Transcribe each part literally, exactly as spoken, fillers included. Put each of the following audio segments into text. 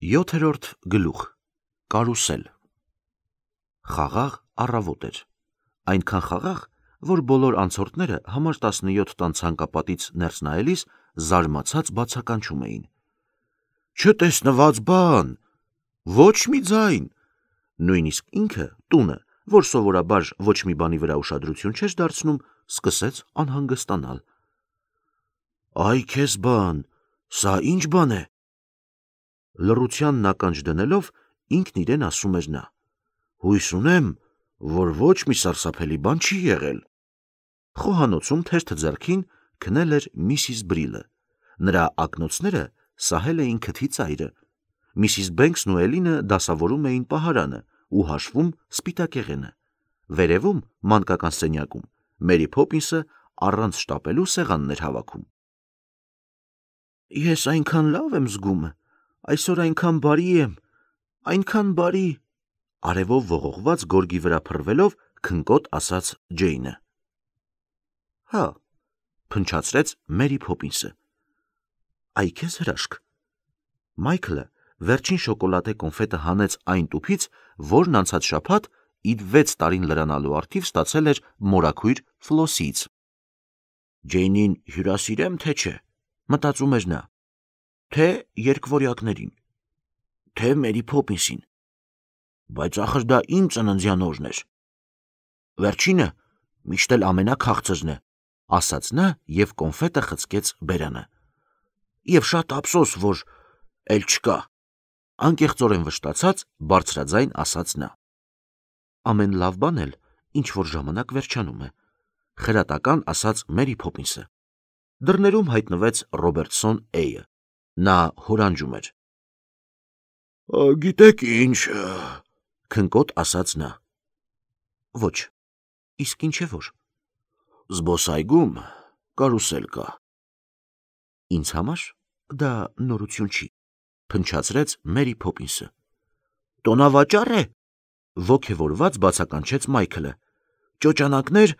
Յոթերորդ գլուխ Կարուսել Խաղաղ առավոտ էր, այնքան խաղաղ, որ բոլոր անցորդները համար տասնյոթ տան ցանկապատից ներս նայելիս զարմացած բացականչում էին. «Չտեսնված բան, ոչ մի ձայն», նույնիսկ ինքը տունը, որ սովորաբար ոչ մի բանի վրա ուշադրություն չէր դարձնում, սկսեց անհանգստանալ. «Այ քեզ բան, սա ինչ բան է»։ Լռությանն ականջ դնելով ինքն իրեն ասում էր նա. «Հույս ունեմ, որ ոչ մի սարսափելի բան չի եղել»։ Խոհանոցում թերթ ձեռքին քնել էր միսիս Բրիլը, նրա ակնոցները սահել էին քթի ծայրը, միսիս Բենքսն ու Էլինը դասավորում էին պահարանը ու հաշվում սպիտակեղենը, վերևում մանկական սենյակում Մերի Փոփինսը առանց շտապելու սեղանն էր հավաքում։ «Ես այնքան լավ եմ զգում, այսօր այնքան բարի եմ, այնքան բարի», արևով ողողված գորգի վրա փռվելով քնկոտ ասաց Ջեյնը։ «Հա», փնչացրեց Մերի Փոփինսը։ «Այ քեզ հրաշք»։ Մայքլը վերջին շոկոլադե կոնֆետը հանեց այն տուփից, որն անցած շաբաթ իր վեց տարին լրանալու առթիվ ստացել էր մորաքույր Ֆլոսիից։ «Ջեյնին հյուրասիրեմ, թե չէ», մտածում էր նա, թե երկվորյակներին, թե Մերի Փոփինսին, բայց ախր դա իմ ծննդյան օրն էր։ Վերջինը միշտ էլ ամենաքաղցրն է, ասաց նա և կոնֆետը խցկեց բերանը։ Եվ շատ ափսոս, որ էլ չկա, անկեղծորեն վշտացած բարձրաձայն ասաց նա։ Ամեն լավ բան էլ ինչ որ ժամանակ վերջանում է, խրատական ասաց Մերի Փոփինսը։ Դռներում հայտնվեց Ռոբերտսոն Էյը, նա հորանջում էր։ «Գիտեք ինչ», քնկոտ ասաց նա։ Ոչ, իսկ ինչ է որ։ «Զբոսայգում կարուսել կա»։ Ինձ համար դա նորություն չի, փնչացրեց Մերի Փոփինսը։ «Տոնավաճառ է», ոգևորված բացականչեց Մայքլը։ «Ճոճանակներ,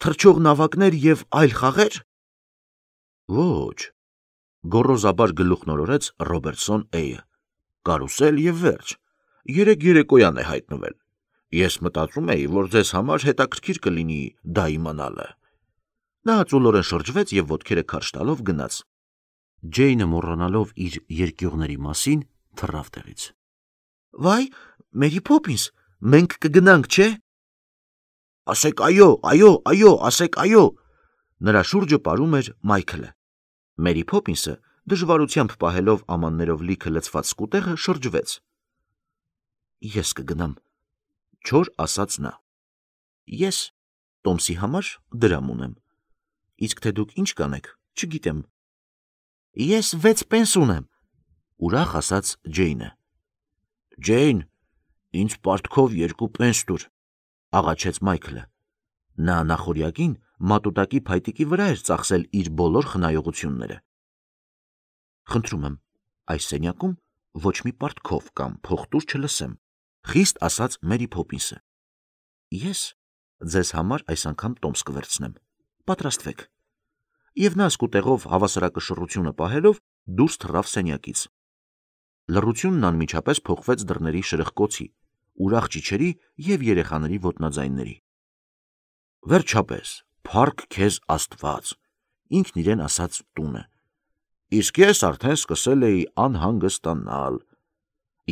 թռչող նավակներ և այլ խաղե՞ր»։ Ոչ, գոռոզաբար գլուխնորորեց Ռոբերտսոն Էյը։ «Կարուսել և վերջ, երեկ երեկոյան է հայտնվել։ Ես մտածում էի, որ ձեզ համար հետաքրքիր կլինի դա իմանալը»։ Նա ծուլորեն շրջվեց և ոտքերը քարշ տալով գնաց։ Ջեյնը մոռանալով իր երկյուղների մասին թռավ տեղից։ «Վայ, Մերի Փոփինս, մենք կգնանք, չէ՞։ Ասեք այո, այո, այո, ասեք այո», նրա շուրջը պարում էր Մայքլը։ Մերի Փոփինսը դժվարությամբ պահելով ամաններով լիքը լցված սկուտեղը շրջվեց։ «Ես կգնամ», չոր ասաց նա։ «Ես Տոմսի համար դրամ ունեմ, իսկ թե դուք ինչ կանեք, չգիտեմ»։ «Ես վեց պենս ունեմ», ուրախ ասաց Ջեյնը։ «Ջեյն, ինձ պարտքով երկու պենս տուր», աղաչեց Մայքլը։ Նա նախօրյակին մատուտակի փայտիկի վրա էր ծախսել իր բոլոր խնայողությունները։ «Խնդրում եմ, այս սենյակում ոչ մի պարտքով կամ փողտուր չլսեմ», խիստ ասաց Մերի Փոփինսը։ «Ես ձեզ համար այս անգամ տոմս կվերցնեմ, պատրաստվեք»։ Եվ նա սկուտեղով հավասարակշռությունը պահելով դուրս թռավ սենյակից։ Լռությունն անմիջապես փոխվեց դռների շրխկոցի, ուրախ ճիչերի և երեխաների ոտնաձայնների։ «Վերջապես, փառք քեզ Աստված», ինքն իրեն ասաց տունը։ «Իսկ ես արդեն սկսել էի անհանգստանալ»։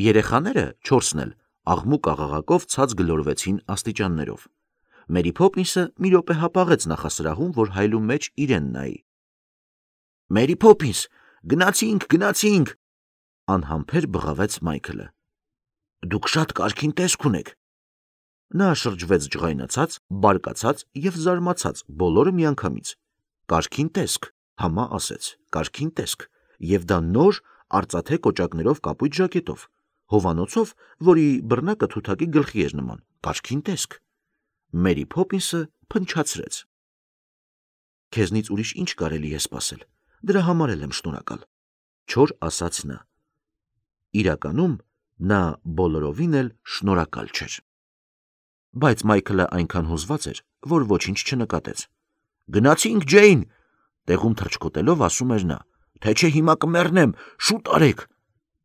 Երեխաները չորսն էլ աղմուկ աղաղակով ցած գլորվեցին աստիճաններով։ Մերի Փոփինսը մի րոպե հապաղեց նախասրահում, որ հայլու մեջ իրեն նայի։ «Մերի Փոփինս, գնացինք, գնացինք», անհամբեր բղավեց Մայքլը։ «Դուք շատ կարգին տեսք ունեք»։ Նա շրջվեց ջղայնացած, բարկացած և զարմացած բոլորը միանգամից։ «Կարգին տեսք», համա ասեց, «կարգին տեսք, և դա նոր արծաթե կոճակներով կապույտ ժակետով, հովանոցով, որի բռնակը թութակի գլխի էր նման, կարգին տեսք»։ Մերի Փոփինսը փնչացրեց։ «Քեզնից ուրիշ ինչ կարելի է սպասել, դրա համար էլ եմ շնորհակալ», չոր ասաց նա։ Իրականում նա բոլորովին էլ շնորհակալ չէր։ Բայց Մայքլը այնքան հուզված էր, որ ոչինչ չնկատեց։ «Գնացինք, Ջեյն», տեղում թռչկոտելով ասում էր նա, «թե չէ հիմա կմեռնեմ, շուտ արեք»։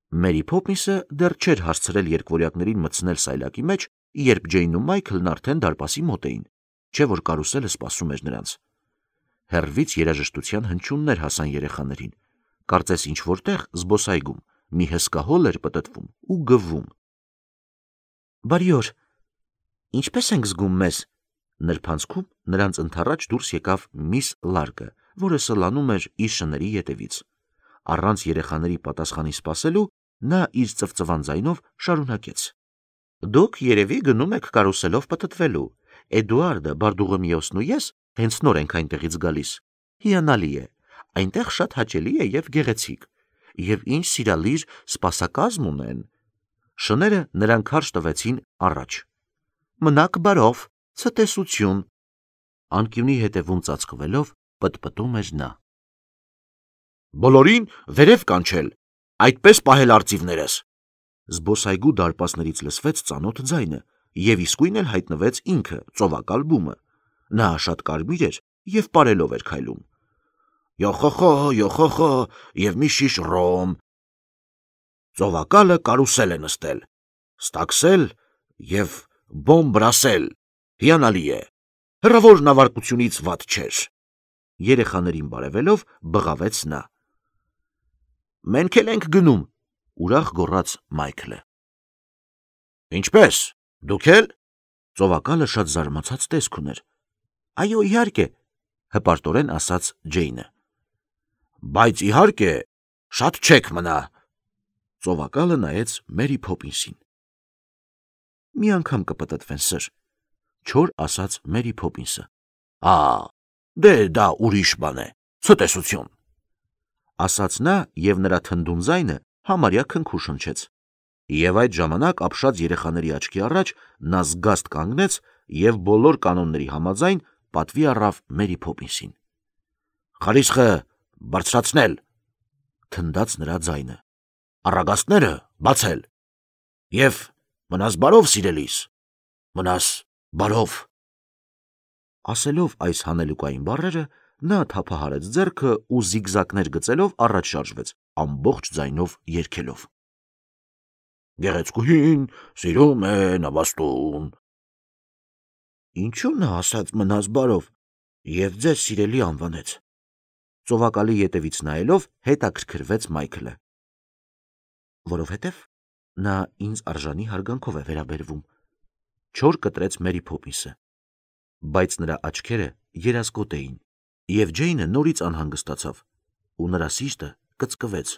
Մերի Փոփինսը դեռ չէր հասցրել երկվորյակներին մտցնել սայլակի մեջ, երբ Ջեյնն ու Մայքլն արդեն դարպասի մոտ էին, չէ որ կարուսելը սպասում էր նրանց։ Հեռվից երաժշտության հնչյուններ հասան երեխաներին, կարծես ինչ որտեղ զբոսայգում մի հսկա հոլ էր պտտվում ու գվում։ Բարի օր, ինչպես ենք զգում մեզ։ Նրբանցքում նրանց ընդառաջ դուրս եկավ միս Լարկը, որը սլանում էր իր շների ետևից։ Առանց երեխաների պատասխանի սպասելու, նա իր ծվծվան ձայնով շարունակեց. Դուք երևի գնում եք կարուսելով պտտվելու։ Էդուարդը, Բարդուղիմեոսն ու ես հենց նոր ենք այնտեղից գալիս։ Հիանալի է, այնտեղ շատ հաճելի է եւ գեղեցիկ, եւ ինչ սիրալիր սպասակազմ ունեն։ Շները նրան քարշ տվեցին առաջ։ Մնաք բարով, ցտեսություն։ Անկյունի հետևում ծածկվելով պտպտում էր նա։ Բոլորին վերև կանչել, այդպես պահել արծիվներս։ Զբոսայգու դարպասներից լսվեց ծանոթ ձայնը, եւ իսկույն էլ հայտնվեց ինքը, ծովակալ բումը։ Նա շատ կարմիր էր եւ պարելով էր քայլում։ Յոխոխո, յոխոխո, եւ մի շիշ ռոմ։ Ծովակալը կարուսել է նստել, ստաքսել եւ բոմբրասել։ Հիանալի է։ Հրավոր նավարկությունից վատ չէր։ Երեխաներին բարևելով բղավեց նա։ Մենք էլ ենք գնում, ուրախ գոռաց Մայքլը։ Ինչպես, դուք էլ։ Ծովակալը շատ զարմացած տեսք ուներ։ Այո, իհարկե, հպարտորեն ասաց Ջեյնը։ Բայց իհարկե, շատ չեք մնա։ Ծովակալը նայեց Մերի Փոփինսին։ Մի անգամ կպտտվեն, սր, չոր ասաց Մերի Փոփինսը։ Ա, դե դա ուրիշ բան է, ցտեսություն։ Ասաց նա եւ նրա թնդուն ձայնը համարյա քնքուշ հնչեց։ Եվ այդ ժամանակ ապշած երեխաների աչքի առաջ նա զգաստ կանգնեց եւ բոլոր կանոնների համաձայն պատվի առավ Մերի Փոփինսին։ Խարիսխը բարձրացնել, թնդաց նրա ձայնը։ Առագաստները բացել։ Եվ մնաս բարով, սիրելիս, մնաս բարով։ Ասելով այս հանելուկային բառերը, նա թափահարեց ձեռքը ու զիգզակներ գծելով առաջ շարժվեց, ամբողջ ձայնով երգելով. Գեղեցկուհին սիրում է նավաստուն։ Ինչու նա ասաց մնաս բարով եւ ձեզ սիրելի անվանեց։ Ծովակալի ետևից նայելով հետաքրքրվեց Մայքլը։ Որովհետև նա ինձ արժանի հարգանքով է վերաբերվում, չոր կտրեց Մերի Փոփինսը, բայց նրա աչքերը երազկոտ էին, եւ Ջեյնը նորից անհանգստացավ, ու նրա սիրտը կծկվեց։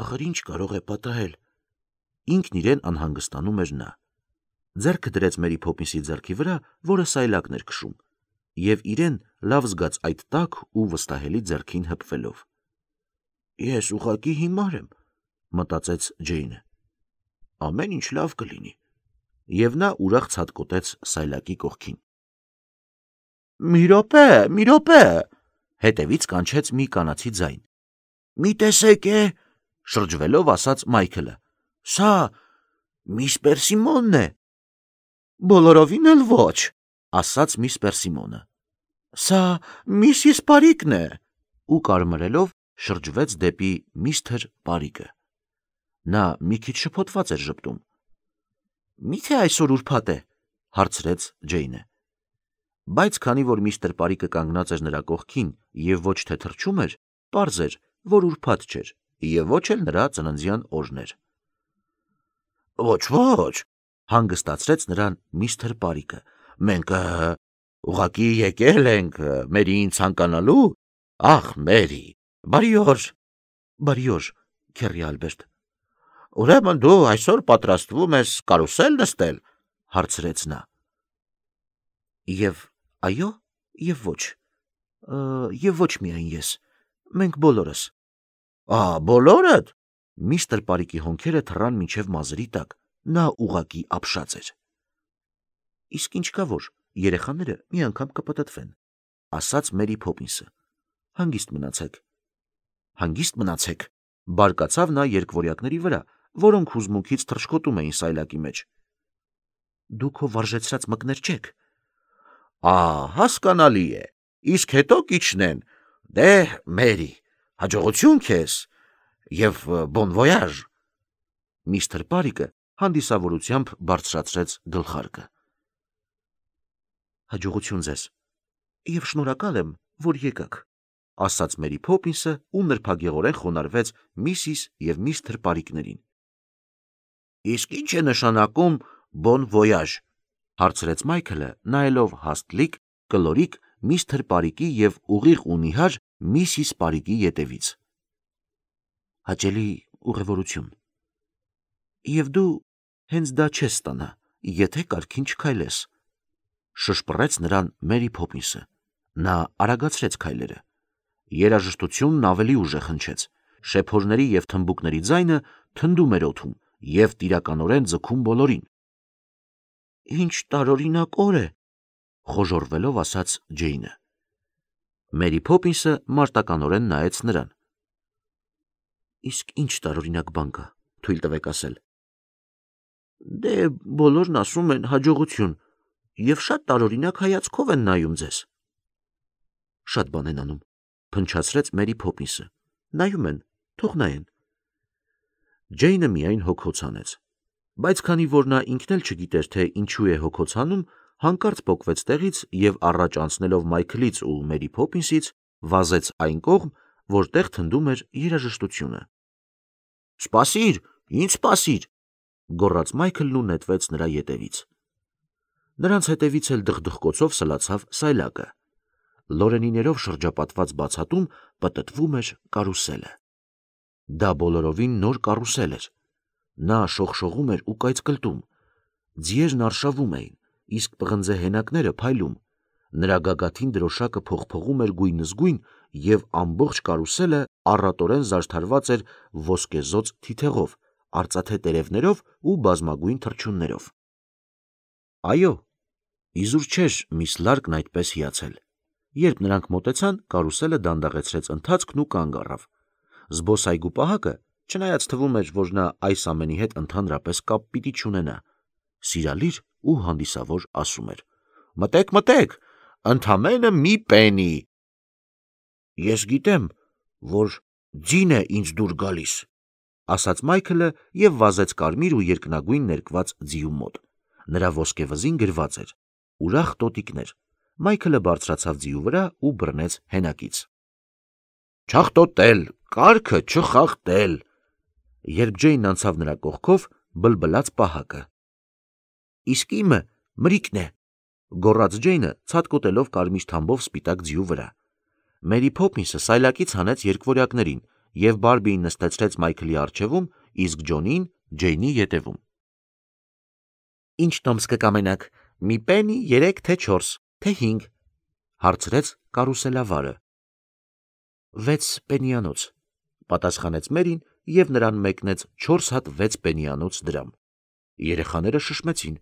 Ախր ինչ կարող է պատահել։ Ինքն իրեն անհանգստանում էր նա։ Ձեռքը դրեց Մերի Փոփինսի ձեռքի վրա, որը սայլակն էր քշում, եւ իրեն լավ զգաց այդ տաք ու վստահելի ձեռքին հպվելով։ Ես ուղղակի հիմար եմ, մտածեց Ջեյնը։ Ամեն ինչ լավ կլինի։ Եվ նա ուրախ ցատկոտեց սայլակի կողքին։ Մի րոպե, մի րոպե, հետևից կանչեց մի կանացի ձայն։ Մի տեսեք է, շրջվելով ասաց Մայքլը։ Սա միս Պերսիմոնն է։ Բոլորովին էլ ոչ, ասաց միս Պերսիմոնը։ Սա միսիս Պարիկն է, ու կարմրելով շրջվեց դեպի միստր Պարիկը։ Նա մի քիչ շփոթված էր ժպտում։ Միթե այսօր ուրբաթ է, հարցրեց Ջեյնը։ Բայց քանի որ միստր Պարիկը կանգնած էր նրա կողքին եւ ոչ թե թրջում էր, պարզ էր, որ ուրբաթ չէր եւ ոչ էլ նրա ծննդյան օրն էր։ Ոչ, ոչ, հանգստացրեց նրան միստր Պարիկը։ Մենք ուղղակի եկել ենք Մերիին ցանկանալու։ Ախ, Մերի, բարի օր։ Բարի օր, քեռի Ալբերտ։ Ուրեմն դու այսօր պատրաստվում ես կարուսել նստել, հարցրեց նա։ Եվ այո, եւ ոչ։ Եվ ոչ միայն ես։ Մենք բոլորս։ Ա, բոլորդ։ Միստր Պարիկի հոնքերը թռան մինչև մազերի տակ, նա ուղակի ապշած էր։ Իսկ ինչ կա որ, երեխաները մի անգամ կպտտվեն, ասաց Մերի Փոփինսը։ Հանգիստ մնացեք։ Հանգիստ մնացեք, բարկացավ նա երկվորյակների վրա, որոնք հուզմունքից թռչկոտում էին սայլակի մեջ։ Դուք ով վարժեցրած մկներ չեք։ Ա, հասկանալի է, իսկ հետո կիջնեն։ Դե, Մերի, հաջողություն քեզ։ Եվ բոն վոյաժ։ Միստր Պարիկը հանդիսավորությամբ բարձրացրեց գլխարկը։ Հաջողություն ձեզ, և շնորհակալ եմ, որ եկաք, ասաց Մերի Փոփինսը ու նրբագեղորեն խոնարհվեց Միսիս և միստր Պարիկներին։ Իսկ ի՞նչ է նշանակում բոն վոյաժ, հարցրեց Մայքլը, նայելով հաստլիկ, կլորիկ միստր Պարիկի և ուղիղ ու նիհար Միսիս Պարիկի ետևից։ Հաճելի ուղևորություն։ Եվ դու հենց դա չես ստանա, եթե կարգին չքայլես, շշպռեց նրան Մերի Փոփինսը։ Նա արագացրեց քայլերը։ Երաժշտությունն ավելի ուժեղ հնչեց, շեփորների և թմբուկների ձայնը թնդում էր օդում և տիրականորեն ձգում բոլորին։ Ինչ տարօրինակոր է, խոժոռվելով ասաց Ջեյնը։ Մերի Փոփինսը մարտականորեն նայեց նրան։ Իսկ ինչ տարօրինակ բան կա, թույլ տվեք ասել։ Դե բոլորն ասում են հաջողություն, և շատ տարօրինակ հայացքով են նայում ձեզ։ Շատ բան են անում, փնչացրեց Մերի Փոփինսը։ Նայում են, թող նայեն։ Ջեյնը միայն հոգոց հանեց, բայց քանի որ նա ինքն էլ չգիտեր, թե ինչու է հոգոց հանում, հանկարծ պոկվեց տեղից և առաջ անցնելով Մայքլից ու Մերի Փոփինսից, վազեց այն կողմ, որտեղ թնդում էր երաժշտությունը։ Սպասիր, ինձ սպասիր, գոռաց Մայքլն ու նետվեց նրա ետևից։ Նրանց հետևից էլ դխդխկոցով սլացավ սայլակը։ Լորենիներով շրջապատված բացատում պտտվում էր կարուսելը։ Դա բոլորովին նոր կարուսել էր։ Նա շողշողում էր ու կայծկլտում։ Ձիերն արշավում էին, իսկ պղնձե հենակները փայլում։ Նրա գագաթին դրոշակը փողփողում էր գույնզգույն, և ամբողջ կարուսելը առատորեն զարդարված էր ոսկեզօծ թիթեղով, արծաթե տերևներով ու բազմագույն թռչուններով։ Այո, իզուր չէր միս Լարկն այդպես հիացել։ Երբ նրանք մոտեցան, կարուսելը դանդաղեցրեց ընթացքն ու կանգ առավ։ Զբոսայգու պահակը, չնայած թվում էր, որ նա այս ամենի հետ ընդհանրապես կապ պիտի չունենա, սիրալիր ու հանդիսավոր ասում էր. Մտեք, մտեք, ընդամենը մի պենի։ Ես գիտեմ, որ ձին է ինձ դուր գալիս, ասաց Մայքլը և վազեց կարմիր ու երկնագույն ներկված ձիու մոտ։ Նրա ոսկեվզին գրված էր. ուրախ տոտիկներ։ Մայքլը բարձրացավ ձիու վրա ու բռնեց հենակից։ Չախտոտել, կարգը չխախտել։ Երբ Ջեյնն անցավ նրա կողքով, բլբլաց պահակը։ Իսկ իմը մրիկն է, գոռաց Ջեյնը, ցատկոտելով կարմիր թամբով սպիտակ ձիու վրա։ Մերի Փոփինսը սայլակից հանեց երկվորյակներին, և Բարբիին նստեցրեց Մայքլի առջևում, իսկ Ջոնին Ջեյնի ետևում։ Ինչ տոմս կկամենաք, մի պենի, երեք, թե չորս, թե հինգ, հարցրեց կարուսելավարը։ Վեց պենիանոց, պատասխանեց Մերին և նրան մեկնեց չորս հատ վեց պենիանոց դրամ։ Երեխաները շշմեցին։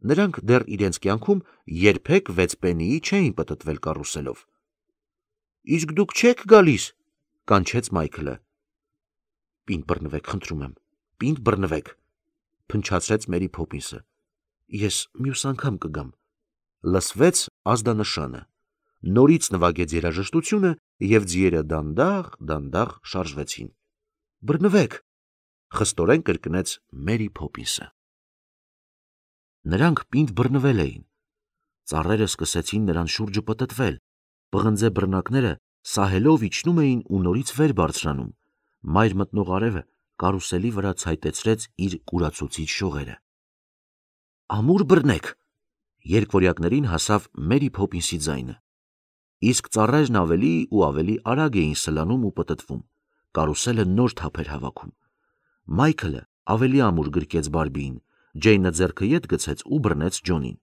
Նրանք դեռ իրենց կյանքում երբեք վեց պենիի չէին պտտվել կարուսելով։ Իսկ դուք չեք գալիս, կանչեց Մայքլը։ Պինդ բռնվեք, խնդրում եմ, պինդ բռնվեք, փնչացրեց Մերի Փոփինսը։ Ես մյուս անգամ կգամ։ Լսվեց ազդանշանը։ Նորից նվագեց երաժշտությունը, և ձիերը դանդաղ-դանդաղ շարժվեցին։ Բռնվեք, խստորեն կրկնեց Մերի Փոփինսը։ Նրանք պինդ բռնվել էին։ Ծառերը սկսեցին նրան շուրջը պտտվել։ Պղնձե բռնակները սահելով իջնում էին ու նորից վեր բարձրանում։ Մայր մտնող արևը կարուսելի վրա ցայտեցրեց իր կուրացուցիչ շողերը։ Ամուր բռնեք, երկվորյակներին հասավ Մերի Փոփինսի ձայնը։ Իսկ ծառերն ավելի ու ավելի արագ էին սլանում ու պտտվում։ Կարուսելը նոր թափ էր հավաքում։ Մայքլը ավելի ամուր գրկեց Բարբիին, Ջեյնը ձեռքը ետ գցեց ու բռնեց Ջոնին։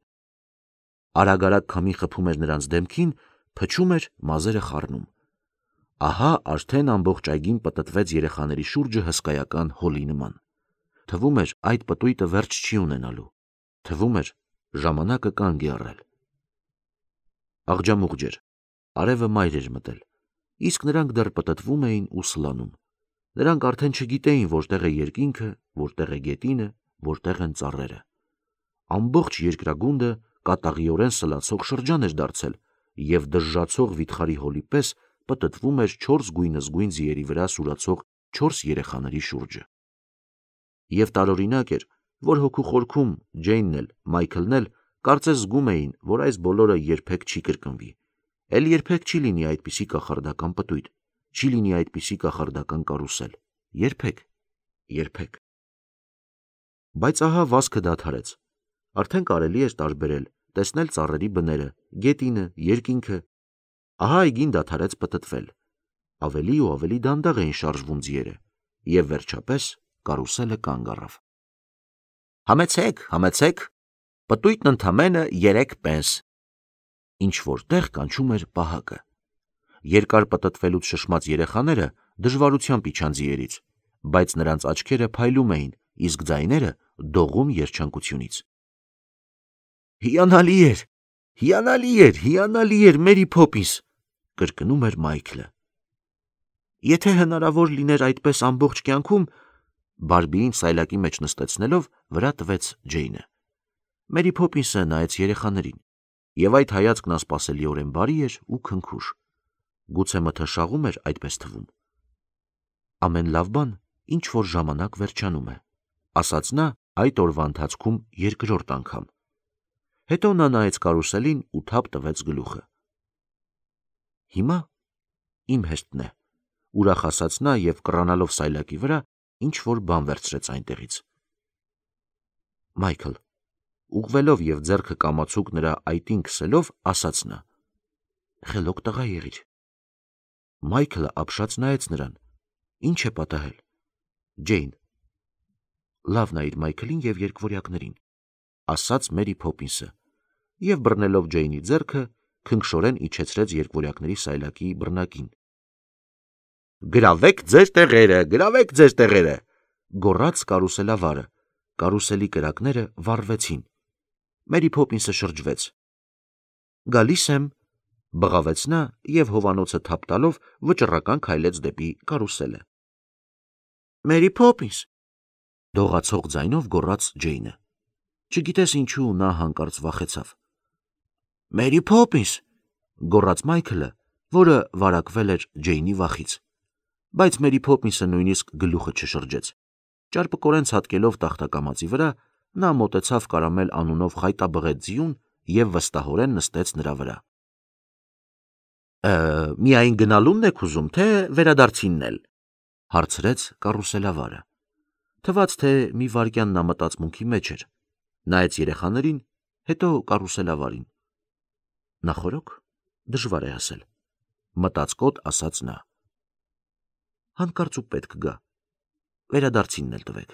Արագ-արագ քամին խփում էր նրանց դեմքին, փչում էր, մազերը խառնում։ Ահա արդեն ամբողջ այգին պտտվեց երեխաների շուրջը հսկայական հոլի նման։ Թվում էր, այդ պտույտը վերջ չի ունենալու։ Թվում էր, ժամանակը կանգ է առել։ Աղջամուղջ էր, արևը մայր էր մտել, իսկ նրանք դեռ պտտվում էին ու սլանում։ Նրանք արդեն չգիտեին, որտեղ է երկինքը, որտեղ է գետինը, որտեղ են ծառերը։ Ամբողջ երկրագունդը կատաղիորեն սլացող շրջան էր դարձել, և դժժացող վիթխարի հոլի պես պտտվում էր չորս գույնզգույն ձիերի վրա սուրացող չորս երեխաների շուրջը։ Եվ տարօրինակ էր, որ հոգու խորքում Ջեյնն էլ, Մայքլն էլ կարծես զգում էին, որ այս բոլորը երբեք չի կրկնվի, էլ երբեք չի լինի այդպիսի կախարդական պտույտ, չի լինի այդպիսի կախարդական կարուսել, երբեք, երբեք։ Բայց ահա վազքը դադարեց, արդեն կարելի էր տարբերել, տեսնել ծառերի բները, գետինը, երկինքը, ահա այգին դադարեց պտտվել, ավելի ու ավելի դանդաղ էին շարժվում ձիերը, և վերջապես կարուսելը կանգ առավ։ Համեցեք, համեցեք, պտույտն ընդամենը երեք պենս։ Ինչ որտեղ կանչում էր պահակը։ Երկար պտտվելուց շշմած երեխաները դժվարությամբ իջան ձիերից, բայց նրանց աչքերը փայլում էին, իսկ ձայները դողում երջանկությունից։ Հիանալի էր, հիանալի էր, հիանալի էր, Մերի Փոփինս, կրկնում էր Մայքլը։ Եթե հնարավոր լիներ այդպես ամբողջ կյանքում, Բարբիին սայլակի մեջ նստեցնելով վրա տվեց Ջեյնը։ Մերի Փոփինսը նայեց երեխաներին, և այդ հայացքն անսպասելիորեն բարի էր ու քնքուշ։ Գուցե մթնշաղում էր այդպես թվում։ Ամեն լավ բան ինչ որ ժամանակ վերջանում է, ասաց նա այդ օրվա ընթացքում երկրորդ անգամ։ Հետո նա նայեց կարուսելին ու թափ տվեց գլուխը։ Հիմա իմ հեշտն է, ուրախ ասաց նա և կռանալով սայլակի վրա ինչ որ բան վերցրեց այնտեղից։ Մայքլ, ուղղվելով և ձեռքը կամացուկ նրա այտին քսելով, ասաց նա. Խելոք տղա եղիր։ Մայքլը ապշած նայեց նրան. Ինչ է պատահել։ Ջեյն, լավ նայիր Մայքլին և երկվորյակներին, ասաց Մերի Փոփինսը, և բռնելով Ջեյնի ձեռքը, քնքշորեն իջեցրեց երկվորյակների սայլակի բռնակին։ Գրավեք ձեր տեղերը, գրավեք ձեր տեղերը, գոռաց կարուսելավարը, կարուսելի կրակները վառվեցին։ Մերի Փոփինսը շրջվեց։ Գալիս եմ, բղավեց նա և հովանոցը թափ տալով վճռական քայլեց դեպի կարուսելը։ Մերի Փոփինս, դողացող ձայնով գոռաց Ջեյնը։ Չգիտես ինչու նա հանկարծ վախեցավ։ Մերի Փոփինս, գոռաց Մայքլը, որը վարակվել էր Ջեյնի վախից։ Բայց Մերի Փոփինսը նույնիսկ գլուխը չշրջեց։ Ճարպկորեն ցատկելով տախտակամածի վրա, նա մոտեցավ Կարամել անունով խայտաբղետ ձիուն և վստահորեն նստեց նրա վրա։ Միայն գնալու՞նն եք ուզում, թե վերադարձինն էլ, հարցրեց կարուսելավարը։ Թվաց, թե մի վայրկյան նա մտածմունքի մեջ էր, նայեց երեխաներին, հետո կարուսելավարին։ Նախորոք, դժվար է ասել, մտածկոտ ասաց նա։ Հանկարծ ու պետք գա, վերադարձինն էլ տվեք։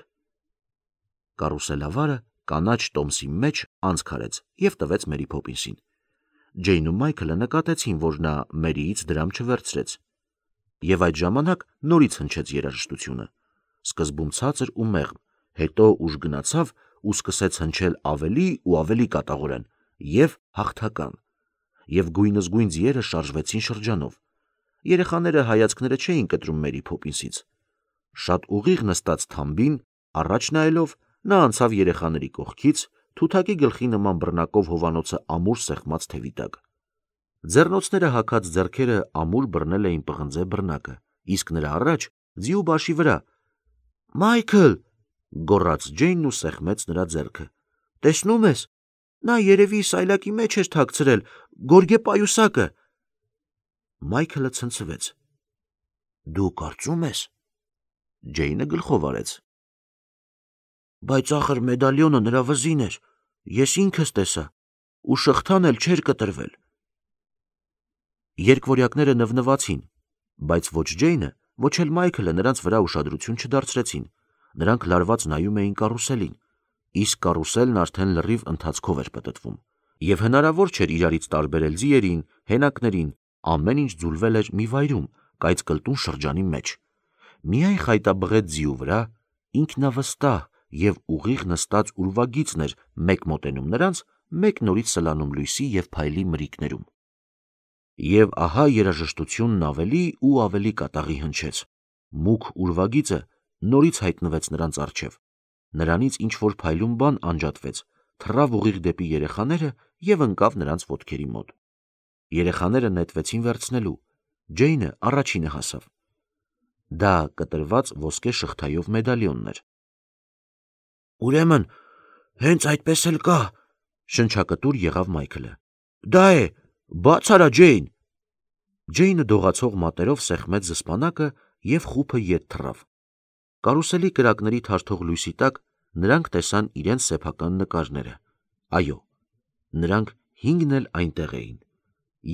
Կարուսելավարը կանաչ տոմսի մեջ անցք արեց և տվեց Մերի Փոփինսին։ Ջեյն ու Մայքլը նկատեցին, որ նա Մերիից դրամ չվերցրեց, և այդ ժամանակ նորից հնչեց երաժշտությունը, սկզբում ցածր ու մեղմ, հետո ուժ գնացավ ու սկսեց հնչել ավելի ու ավելի կատաղորեն և հաղթական, և գույնզգույն ձիերը շարժվեցին շրջանով։ Երեխաները հայացքները չէին կտրում Մերի Փոփինսից։ Շատ ուղիղ նստած թամբին, առաջ նայելով, նա անցավ երեխաների կողքից, թութակի գլխի նման բռնակով հովանոցը ամուր սեղմած թևի տակ։ Ձեռնոցները հագած ձեռքերը ամուր բռնել էին պղնձե բռնակը, իսկ նրա առաջ, ձիու բաշի վրա, Մայքլ, գոռաց Ջեյնն ու սեղմեց նրա ձեռքը։ Տեսնում ես, նա երևի սայլակի մեջ էր թաքցրել, գորգե պայուսակը։ Մայքլը ցնցվեց։ Դու կարծում ես։ Ջեյնը գլխով արեց։ Բայց ախր մեդալյոնը նրա վզին էր, ես ինքս տեսա, ու շղթան էլ չէր կտրվել։ Երկվորյակները նվնվացին, բայց ոչ Ջեյնը, ոչ էլ Մայքլը նրանց վրա ուշադրություն չդարձրեցին, նրանք լարված նայում էին կարուսելին, իսկ կարուսելն արդեն լրիվ ընթացքով էր պտտվում, և հնարավոր չէր իրարից տարբերել ձիերին, հենակներին, ամեն ինչ ձուլվել էր մի վայրում, կայծկլտուն շրջանի մեջ։ Միայն խայտաբղետ ձիու վրա ինքնավստահ և ուղիղ նստած ուրվագիծն էր մեկ մոտենում նրանց, մեկ նորից սլանում լույսի և փայլի մրրիկներում։ Եվ ահա երաժշտությունն ավելի ու ավելի կատաղի հնչեց։ Մուգ ուրվագիծը նորից հայտնվեց նրանց առջև։ Նրանից ինչ-որ փայլուն բան անջատվեց, թռավ ուղիղ դեպի երեխաները և ընկավ նրանց ոտքերի մոտ։ Երեխաները նետվեցին վերցնելու։ Ջեյնը առաջինը հասավ։ Դա կտրված ոսկե շղթայով մեդալիոնն էր։ Ուրեմն, հենց այդպես էլ կա, շնչակտուր եղավ Մայքլը։ Դա է, բաց արա, Ջեյն։ Ջեյնը դողացող մատերով սեղմեց զսպանակը և խուփը ետ թռավ։ Կարուսելի կրակների թարթող լույսի տակ նրանք տեսան իրենց սեփական նկարները։ Այո, նրանք հինգն էլ այնտեղ էին,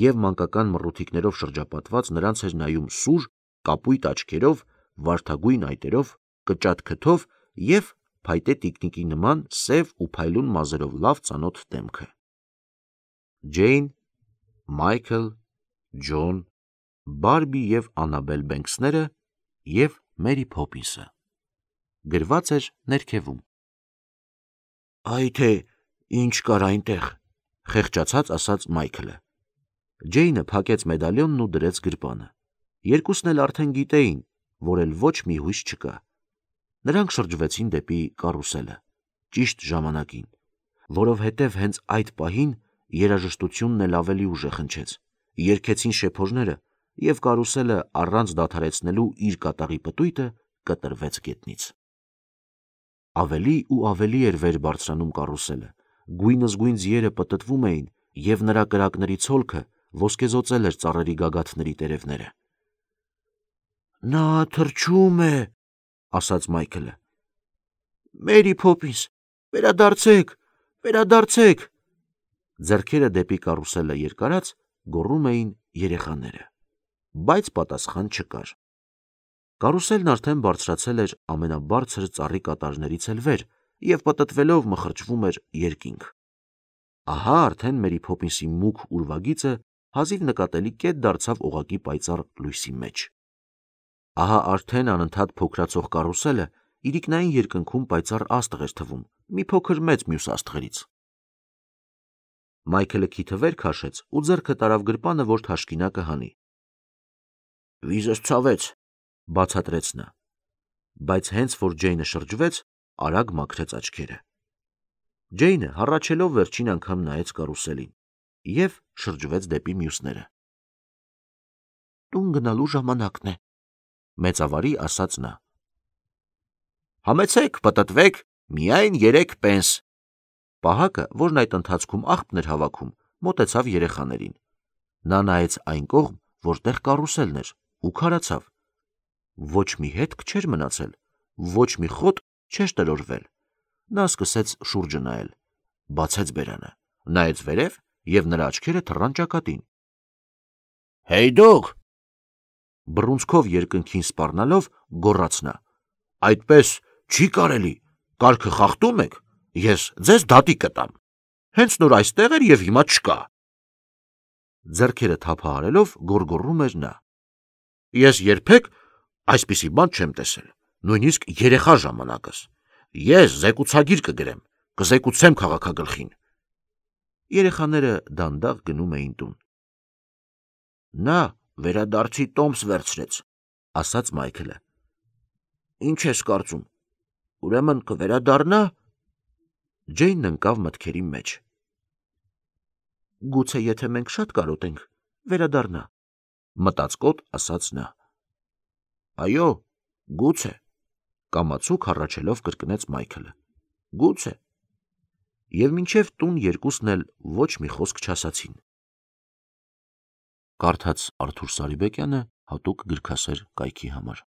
և մանկական մռութիկներով շրջապատված նրանց էր նայում սուր, կապույտ աչքերով, վարդագույն այտերով, կճատ քթով և փայտե տիկնիկի նման սև ու փայլուն մազերով լավ ծանոթ դեմքը։ Ջեյն, Մայքլ, Ջոն, Բարբի և Անաբել Բենքսները և Մերի Փոփինսը։ Գրված էր ներքևում։ Այ թե ինչ կար այնտեղ, խեղճացած ասաց Մայքլը։ Ջեյնը փակեց մեդալիոնն ու դրեց գրպանը։ Երկուսն էլ արդեն գիտեին, որ էլ ոչ մի հույս չկա։ Նրանք շրջվեցին դեպի կարուսելը, ճիշտ ժամանակին, որովհետև հենց այդ պահին երաժշտությունն էլ ավելի ուժեղ հնչեց, երգեցին շեփորները, և կարուսելը առանց դադարեցնելու իր կատաղի պտույտը կտրվեց գետնից։ Ավելի ու ավելի էր վեր բարձրանում կարուսելը, գույնզգույն ձիերը պտտվում էին, և նրա կրակների ցոլքը ոսկեզօծել էր ծառերի գագաթների տերևները։ Նա թռչում է, ասաց Մայքլը։ Մերի Փոփինս, վերադարձեք, վերադարձեք։ Ձեռքերը դեպի կարուսելը երկարած գոռում էին երեխաները, բայց պատասխան չկար։ Կարուսելն արդեն բարձրացել էր ամենաբարձր ծառի կատարներից էլ վեր և պտտվելով մխրճվում էր երկինք։ Ահա արդեն Մերի Փոփինսի մուգ ուրվագիծը հազիվ նկատելի կետ դարձավ օղակի պայծառ լույսի մեջ։ Ահա արդեն անընդհատ փոքրացող կարուսելը իրիկնային երկնքում պայծառ աստղ էր թվում, մի փոքր մեծ մյուս աստղերից։ Մայքլը քիթը վեր քաշեց ու ձեռքը տարավ գրպանը, որ թաշկինակը հանի։ Վիզս ցավեց, բացատրեց նա, բայց հենց որ Ջեյնը շրջվեց, արագ մաքրեց աչքերը։ Ջեյնը հառաչելով վերջին անգամ նայեց կարուսելին և շրջվեց դեպի մյուսները։ Տուն գնալու ժամանակն է, մեծավարի ասաց նա։ Համեցեք, պտտվեք, միայն երեք պենս։ Պահակը, որն այդ ընթացքում աղբն էր հավաքում, մոտեցավ երեխաներին։ Նա նայեց այն կողմ, որտեղ կարուսելն էր, ու քարացավ։ Ոչ մի հետք չէր մնացել, ոչ մի խոտ չէր տրորվել։ Նա սկսեց շուրջը նայել, բացեց բերանը, նայեց վերև և նրա աչքերը թռան ճակատին։ Հեյ դուք, բռունցքով երկնքին սպառնալով գոռաց նա, այդպես չի կարելի, կարգը խախտում եք, ես ձեզ դատի կտամ, հենց նոր այստեղ էր և հիմա չկա։ Ձեռքերը թափահարելով գոռգոռում էր նա։ Ես երբեք այսպիսի բան չեմ տեսել, նույնիսկ երեխա ժամանակս։ Ես զեկուցագիր կգրեմ, կզեկուցեմ քաղաքագլխին։ Երեխաները դանդաղ գնում էին տուն։ Նա վերադարձի տոմս վերցրեց, ասաց Մայքլը։ Ինչ ես կարծում, ուրեմն կվերադառնա։ Ջեյնն ընկավ մտքերի մեջ։ Գուցե եթե մենք շատ կարոտենք, վերադառնա, մտածկոտ ասաց նա։ Այո, գուցե, կամացուկ հառաչելով կրկնեց Մայքլը։ Գուցե։ Եվ մինչև տուն երկուսն էլ ոչ մի խոսք չասացին։ Կարդաց Արթուր Սարիբեկյանը հատուկ գրքասեր կայքի համար։